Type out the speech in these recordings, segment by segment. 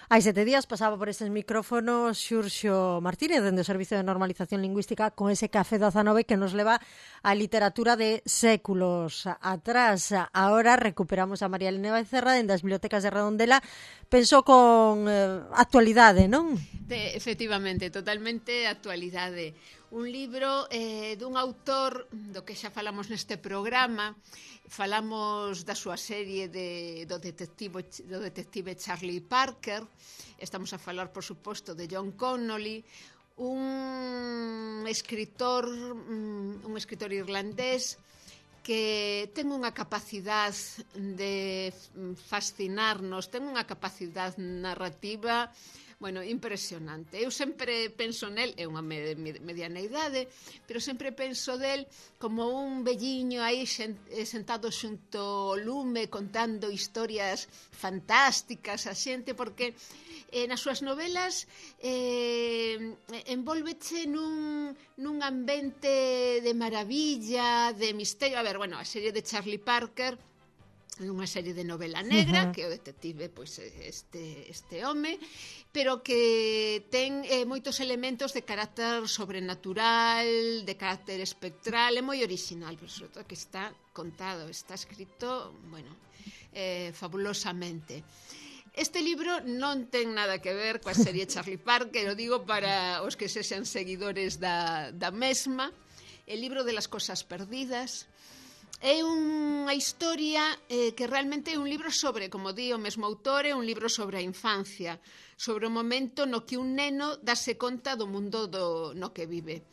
Hai 7 días pasaba por estes micrófonos Xurxo Martínez, dende o Servicio de Normalización Lingüística, con ese Café 19 que nos leva a literatura de séculos atrás. Ahora recuperamos a María Elena Becerra dende as bibliotecas de Redondela. Pensou con actualidade, non? Efectivamente, totalmente actualidade. Un libro dun autor do que xa falamos neste programa. Falamos da súa serie do detective Charlie Parker. Estamos a falar, por suposto, de John Connolly, un escritor irlandés que ten unha capacidade de fascinarnos, ten unha capacidade narrativa impresionante. Eu sempre penso nel, é unha mediana idade, pero sempre penso del como un velliño aí sentado xunto ao lume contando historias fantásticas a xente, porque nas súas novelas envolveche nun ambiente de maravilla, de misterio. A serie de Charlie Parker é unha serie de novela negra, que o detective este home, pero que ten moitos elementos de carácter sobrenatural, de carácter espectral, é moi original, pero sobre todo que está contado, está escrito, fabulosamente. Este libro non ten nada que ver coa serie Charlie Parker, o digo para os que sexan seguidores da mesma. El libro de las cosas perdidas é unha historia que realmente é un libro sobre, como di o mesmo autor, é un libro sobre a infancia, sobre o momento no que un neno dase conta do mundo no que vive.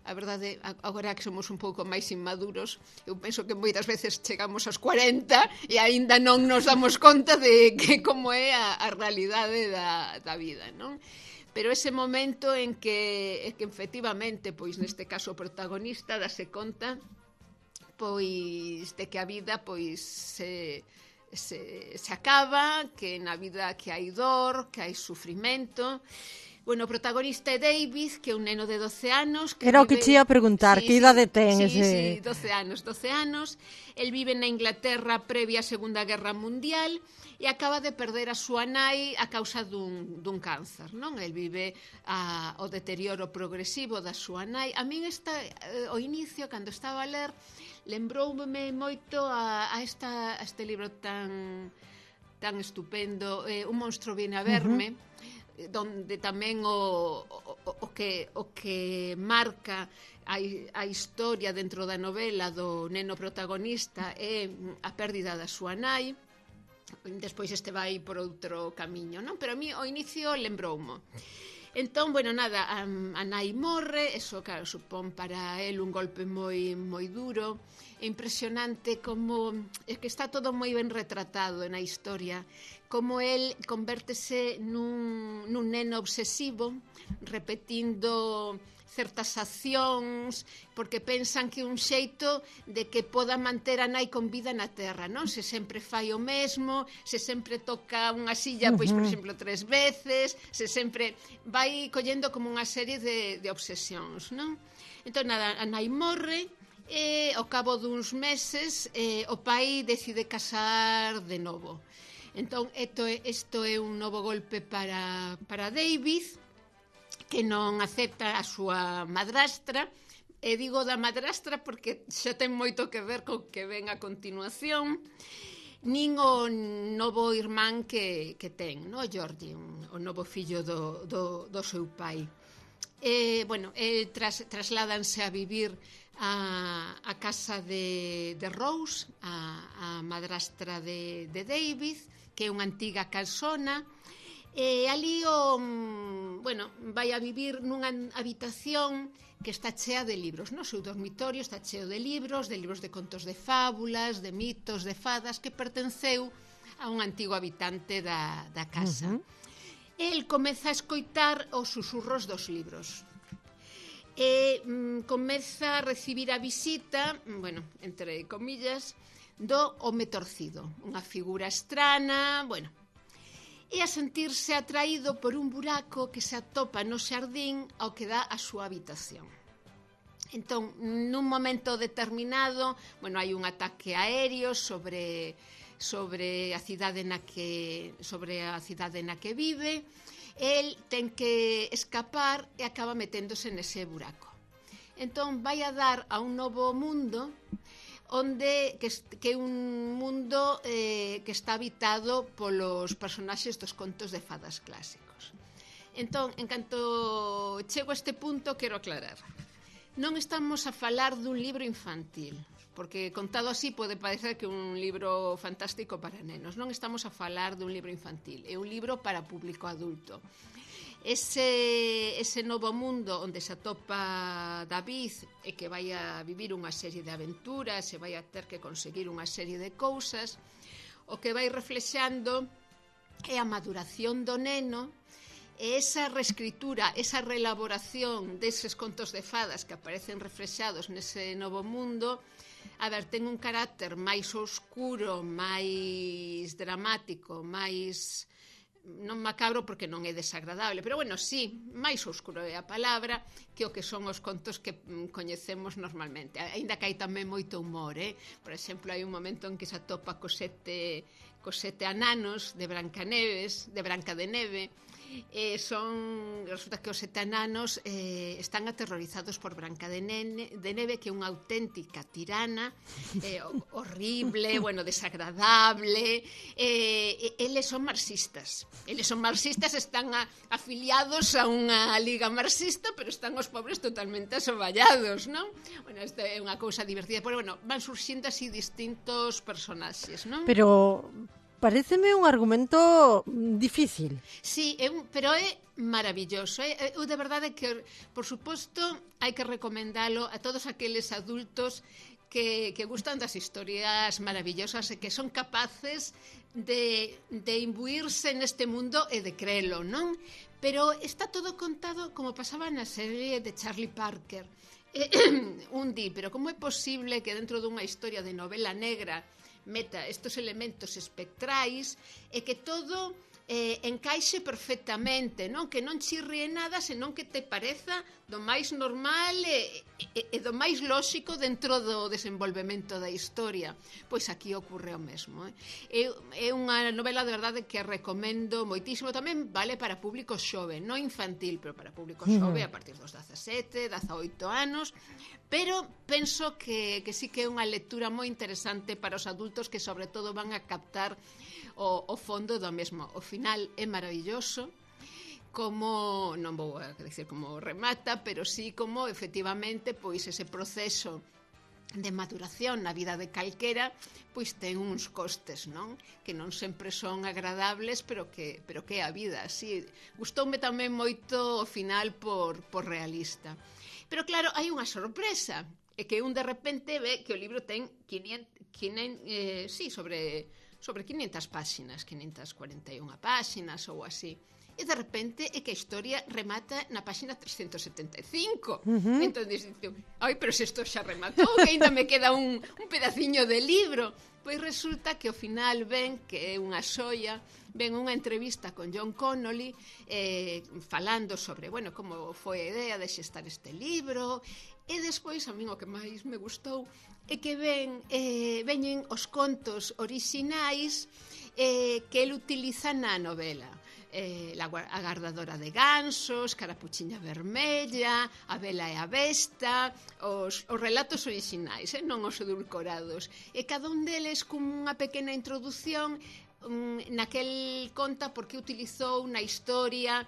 A verdade, agora que somos un pouco máis inmaduros, eu penso que moitas veces chegamos aos 40 e aínda non nos damos conta de que como é a realidade da vida, non? Pero ese momento en que efectivamente, pois neste caso o protagonista dase conta de que a vida se acaba, que na vida que hai dor, que hai sufrimento. O protagonista é David, que é un neno de 12 anos. Era o que te ia a preguntar, que idade ten Sí, ese... 12 anos. El vive na Inglaterra previa á Segunda Guerra Mundial e acaba de perder a súa nai a causa dun cáncer, non? El vive o deterioro progresivo da súa nai. A min o inicio, cando estaba a ler, lembroume moito a este libro tan estupendo, Un monstro viene a verme, donde tamén o que marca a historia dentro da novela do neno protagonista é a pérdida da súa nai. Despois vai por outro camiño, non? Pero a mí o inicio lembroumo. Entón, a nai morre, eso, claro, supón para el un golpe moi duro. É impresionante como é que está todo moi ben retratado na historia, como el convértese nun neno obsesivo, repetindo certas accións, porque pensan que un xeito de que poda manter a nai con vida na terra, non? Se sempre fai o mesmo, se sempre toca unha silla, pois, por exemplo, 3 veces, se sempre vai collendo como unha serie de obsesións, non? Entón, a nai morre e ao cabo duns meses o pai decide casar de novo. Entón, isto é un novo golpe para David, que non acepta a súa madrastra. E digo da madrastra porque xa ten moito que ver co que ven a continuación, nin o novo irmán que ten, no? Georgie, o novo fillo do seu pai. Trasládanse a vivir a casa de Rose, a madrastra de David, que é unha antiga casona. E ali vai a vivir nunha habitación que está chea de libros, no seu dormitorio está cheo de libros de contos de fábulas, de mitos, de fadas, que pertenceu a un antigo habitante da casa. El comeza a escoitar os susurros dos libros e comeza a recibir a visita, entre comillas, do home torcido, unha figura estrana, e a sentirse atraído por un buraco que se atopa no xardín ao que dá a súa habitación. Entón, nun momento determinado, hai un ataque aéreo sobre sobre a cidade na que vive. El ten que escapar e acaba meténdose nese buraco. Entón vai a dar a un novo mundo que é un mundo que está habitado polos personaxes dos contos de fadas clásicos. Entón, en canto chego a este punto, quero aclarar. Non estamos a falar dun libro infantil, porque contado así pode parecer que é un libro fantástico para nenos. Non estamos a falar dun libro infantil, é un libro para público adulto. Ese novo mundo onde se atopa David e que vai a vivir unha serie de aventuras e vai a ter que conseguir unha serie de cousas, o que vai reflexando é a maduración do neno e esa reescritura, esa reelaboración deses contos de fadas que aparecen reflexados nese novo mundo. A ver, ten un carácter máis oscuro, máis dramático, máis... non macabro porque non é desagradable, pero bueno, sí, máis oscuro é a palabra que o que son os contos que coñecemos normalmente, aínda que hai tamén moito humor, por exemplo, hai un momento en que se atopa cos sete ananos de Branca de Neve, resulta que os sete ananos están aterrorizados por Branca de Neve, que é unha auténtica tirana, horrible, bueno, desagradable. Eles son marxistas, están afiliados a unha liga marxista, pero están os pobres totalmente asoballados, non? Bueno, isto é unha cousa divertida, pero bueno, van surxindo así distintos personaxes, non? Pero paréceme un argumento difícil. Sí, pero é maravilloso. Eu de verdade que, por suposto, hai que recomendalo a todos aqueles adultos que gustan das historias maravillosas e que son capaces de imbuirse neste mundo e de creelo, non? Pero está todo contado como pasaba na serie de Charlie Parker. Pero como é posible que dentro dunha historia de novela negra meta estes elementos espectrais e que todo encaixe perfectamente, non? Que non chirrie nada, senón que te pareza do máis normal e do máis lóxico dentro do desenvolvemento da historia. Pois aquí ocorre o mesmo. É unha novela de verdade que recomendo moitísimo. Tamén vale para público xove, non infantil, pero para público xove a partir dos 17, 18 anos. Pero penso que sí que é unha lectura moi interesante para os adultos que sobre todo van a captar o fondo do mesmo. O final é maravilloso, como, non vou a decir como remata, pero sí como efectivamente pois ese proceso de maduración na vida de calquera pois ten uns costes, non? Que non sempre son agradables, pero que é a vida. Sí, gustoume tamén moito o final por realista. Pero claro, hai unha sorpresa, é que un de repente ve que o libro ten sobre 500 páxinas, 541 páxinas ou así. E de repente é que a historia remata na páxina 375. Entón dices, ai, pero se isto xa rematou, que ainda me queda un pedaciño de libro. Pois resulta que ao final ven que é unha xoia, ven unha entrevista con John Connolly falando sobre, bueno, como foi a idea de xestar este libro, e despois a min o que máis me gustou é que veñen os contos orixinais que el utiliza na novela. A gardadora de gansos, Carapuchiña vermella, A Bela e a Besta, os relatos orixinais, non os edulcorados. E cada un deles con unha pequena introdución naquel conta porque utilizou na historia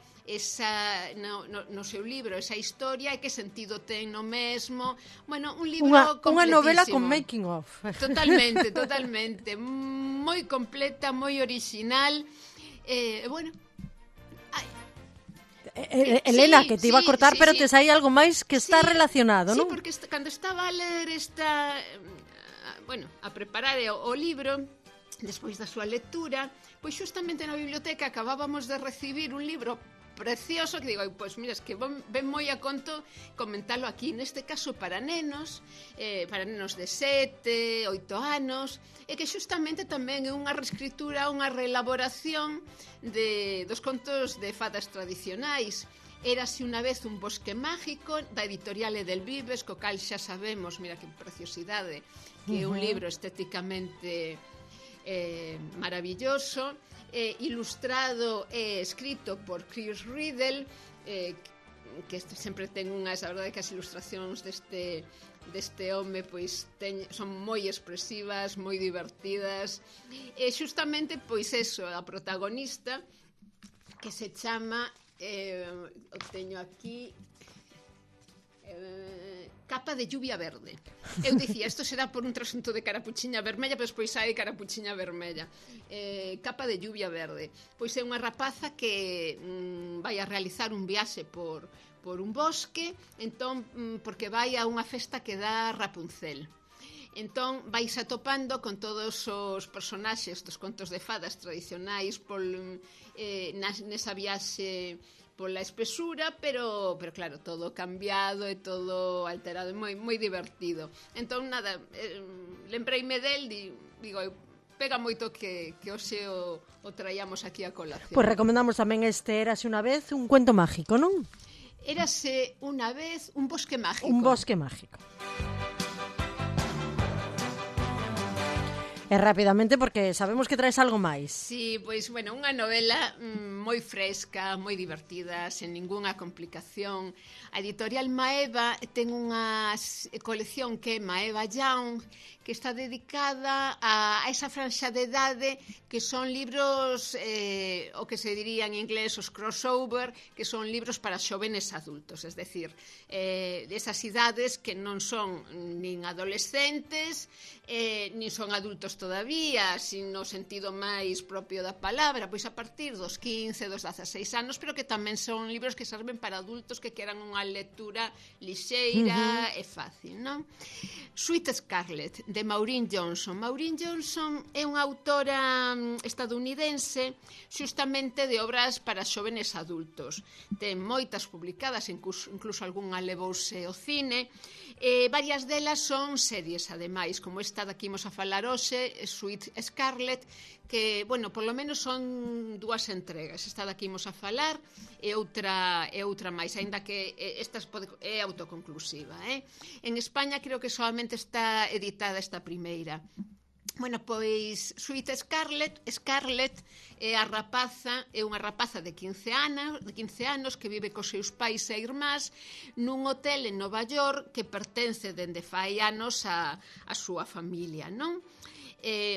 no seu libro esa historia e que sentido ten no mesmo. Bueno, un libro completísimo. Unha novela con making of. Totalmente. Moi completa, moi original. Bueno, Elena, que te iba a cortar, pero te sai algo máis que está relacionado, non? Sí, porque cando estaba a ler a preparar o libro, despois da súa lectura, pois xustamente na biblioteca acabábamos de recibir un libro precioso que digo, pois mira, es que ven moi a conto comentalo aquí, neste caso para nenos de 7, 8 anos, e que xustamente tamén é unha reescritura, unha reelaboración dos contos de fadas tradicionais. Érase unha vez un bosque mágico, da editorial Edelvives, co cal xa sabemos, mira que preciosidade, que é un libro estéticamente maravilloso, ilustrado e escrito por Chris Riddle, que sempre ten unhas, a verdade que as ilustracións deste home pois son moi expresivas, moi divertidas, e xustamente pois eso, a protagonista que se chama o teño aquí, Capa de lluvia verde. Eu dicía, isto será por un trasunto de carapuchiña vermella, pero despois hai carapuchiña vermella. Capa de lluvia verde. Pois é unha rapaza que vai a realizar un viaxe por un bosque, entón, porque vai a unha festa que dá Rapunzel. Entón vais atopando con todos os personaxes dos contos de fadas tradicionais nesa viaxe pola espesura, pero claro, todo cambiado e todo alterado, moi divertido. Entón, nada, lembrei-me del, digo, pega moito que hoxe o traíamos aquí a colación. Pois recomendamos tamén este Érase unha vez, un cuento mágico, non? Érase unha vez un bosque mágico. Un bosque mágico. E rapidamente, porque sabemos que traes algo máis. Sí, pois, bueno, unha novela moi fresca, moi divertida, sen ningunha complicación. A editorial Maeva ten unha colección que é Maeva Young, que está dedicada a esa franxa de idade que son libros, o que se diría en inglés os crossover, que son libros para xóvenes adultos, es decir, esas idades que non son nin adolescentes, nin son adultos todavía, sin no sentido máis propio da palabra, pois a partir dos 15, dos 16 anos, pero que tamén son libros que serven para adultos que queran unha lectura lixeira e fácil, non? Sweet Scarlet, de Maureen Johnson. Maureen Johnson é unha autora estadounidense xustamente de obras para xóvenes adultos. Ten moitas publicadas, incluso algunha levouse ao cine, varias delas son series, ademais, como esta da que imos a falar hoxe, Sweet Scarlet, que, bueno, polo menos son 2 entregas. Esta da que imos a falar e outra máis, aínda que esta é autoconclusiva. En España creo que solamente está editada esta primeira. Bueno, pois Sweet Scarlet é unha rapaza de 15 anos que vive cos seus pais e irmás nun hotel en Nova York que pertence dende fai anos a súa familia, non?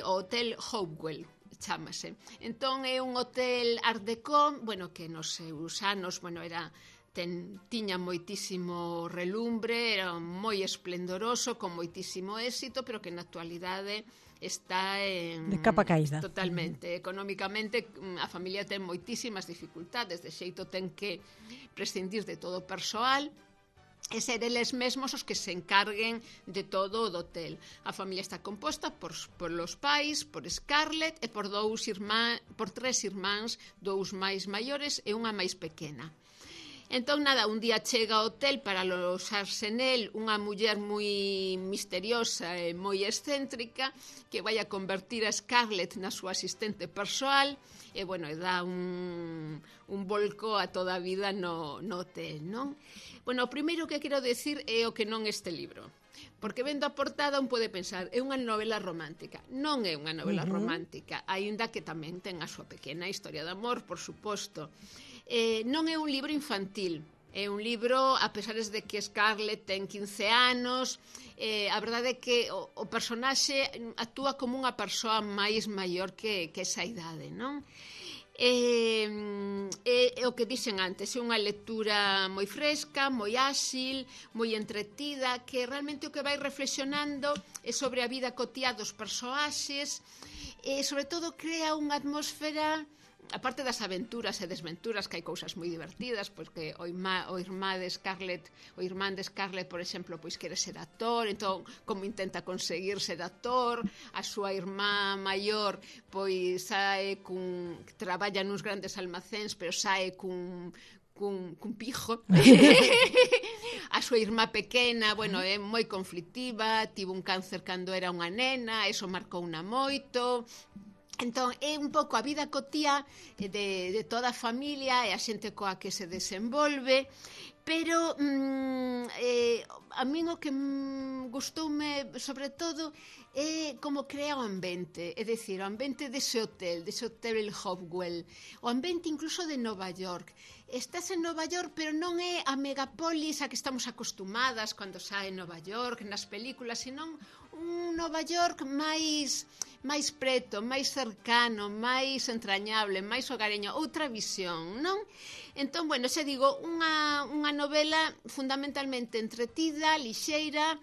O Hotel Hopewell chámase. Entón é un hotel art deco, bueno, que nos seus anos, bueno, tiña moitísimo relumbre, era moi esplendoroso, con moitísimo éxito, pero que na actualidade está de capa caída. Totalmente. Económicamente a familia ten moitísimas dificultades, de xeito ten que prescindir de todo o persoal e ser eles mesmos os que se encarguen de todo o do hotel. A familia está composta por los pais, por Scarlett e por 3 irmáns, 2 máis maiores e unha máis pequena. Entón, nada, un día chega ao hotel para alosarse nel unha muller moi misteriosa e moi excéntrica que vai a convertir a Scarlett na súa asistente persoal e, bueno, dá un volco a toda a vida no hotel, non? Bueno, o primeiro que quero decir é o que non este libro. Porque vendo a portada un pode pensar, é unha novela romántica. Non é unha novela romántica, aínda que tamén ten a súa pequena historia de amor, por suposto. Non é un libro infantil, é un libro, a pesar de que Scarlett ten 15 anos, a verdade é que o personaxe actúa como unha persoa máis maior que esa idade, non? O que dixen antes, é unha lectura moi fresca, moi áxil, moi entretida, que realmente o que vai reflexionando é sobre a vida cotiá dos persoaxes e, sobre todo, crea unha atmosfera, aparte das aventuras e desventuras, que hai cousas moi divertidas, porque o irmán de Scarlett, por exemplo, pois quere ser actor, entón como intenta conseguir ser actor, a súa irmá maior pois traballa nuns grandes almacéns, pero sae cun pijo. A súa irmá pequena, bueno, é moi conflictiva, tivo un cáncer cando era unha nena, eso marcouna moito. Entón, é un pouco a vida cotía de toda a familia e a xente coa que se desenvolve, pero a min o que gustoume sobre todo é como crea o ambiente, é dicir, o ambiente dese hotel Hopewell, o ambiente incluso de Nova York. Estás en Nova York, pero non é a megapolis a que estamos acostumadas cando sae Nova York nas películas, senón un Nova York máis preto, máis cercano, máis entrañable, máis hogareño, outra visión, non? Entón, bueno, xa digo, unha novela fundamentalmente entretida, lixeira,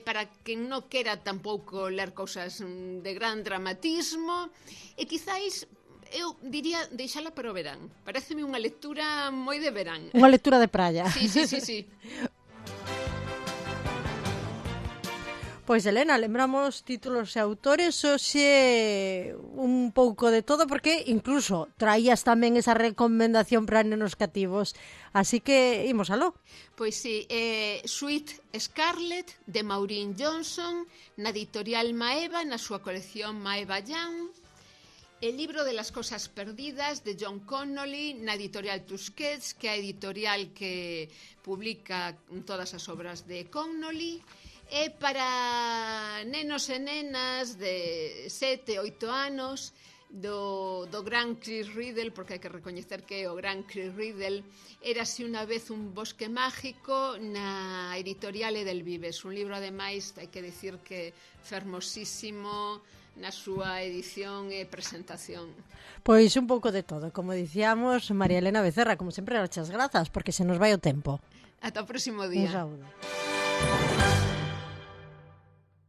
para quen non quera tampouco ler cousas de gran dramatismo, e quizáis eu diría deixala para o verán. Paréceme unha lectura moi de verán. Unha lectura de praia. Sí. Pois, Elena, lembramos títulos e autores, hoxe un pouco de todo, porque incluso traías tamén esa recomendación para nenos cativos, así que imos aló. Pois sí, Sweet Scarlet, de Maureen Johnson, na editorial Maeva, na súa colección Maeva Young. El libro de las cosas perdidas, de John Connolly, na editorial Tusquets, que é a editorial que publica todas as obras de Connolly. É para nenos e nenas de 7, 8 anos do gran Chris Riddle, porque hai que recoñecer que o gran Chris Riddle Érase unha vez un bosque mágico na editorial Edelvives, un libro ademais, hai que dicir que fermosísimo na súa edición e presentación. Pois un pouco de todo, como dicíamos, María Elena Becerra, como sempre, muchas grazas, porque se nos vai o tempo. Ata o próximo día. Un saúdo.